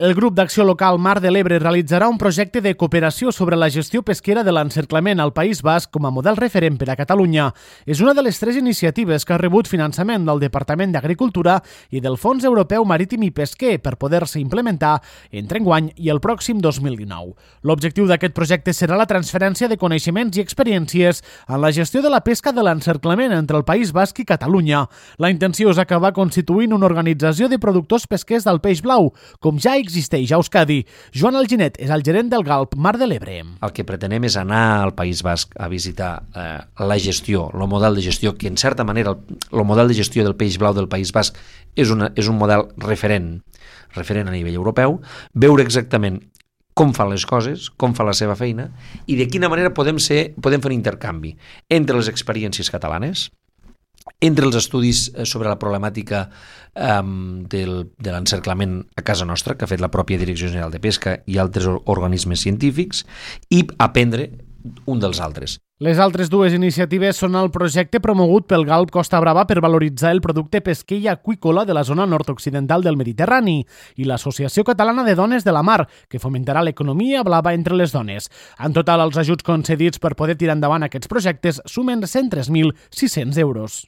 El grup d'acció local Mar de l'Ebre realitzarà un projecte de cooperació sobre la gestió pesquera de l'encerclament al País Basc com a model referent per a Catalunya. És una de les 3 iniciatives que ha rebut finançament del Departament d'Agricultura i del Fons Europeu Marítim i Pesquer per poder-se implementar entre enguany i el pròxim 2019. L'objectiu d'aquest projecte serà la transferència de coneixements i experiències en la gestió de la pesca de l'encerclament entre el País Basc i Catalunya. La intenció és acabar constituint una organització de productors pesquers del peix blau, com ja existeix a Euskadi. Joan Alginet és el gerent del GALP Mar de l'Ebre. El que pretenem és anar al País Basc a visitar la gestió, el model de gestió, que en certa manera el model de gestió del peix blau del País Basc és un model referent a nivell europeu, veure exactament com fan les coses, com fa la seva feina i de quina manera podem fer un intercanvi entre les experiències catalanes, entre els estudis sobre la problemàtica de l'encerclament a casa nostra, que ha fet la pròpia Direcció General de Pesca i altres organismes científics, i aprendre un dels altres. Les altres 2 iniciatives són el projecte promogut pel GALP Costa Brava per valoritzar el producte pesquer i aqüícola de la zona nord-occidental del Mediterrani i l'Associació Catalana de Dones de la Mar, que fomentarà l'economia blava entre les dones. En total, els ajuts concedits per poder tirar endavant aquests projectes sumen 103.600 euros.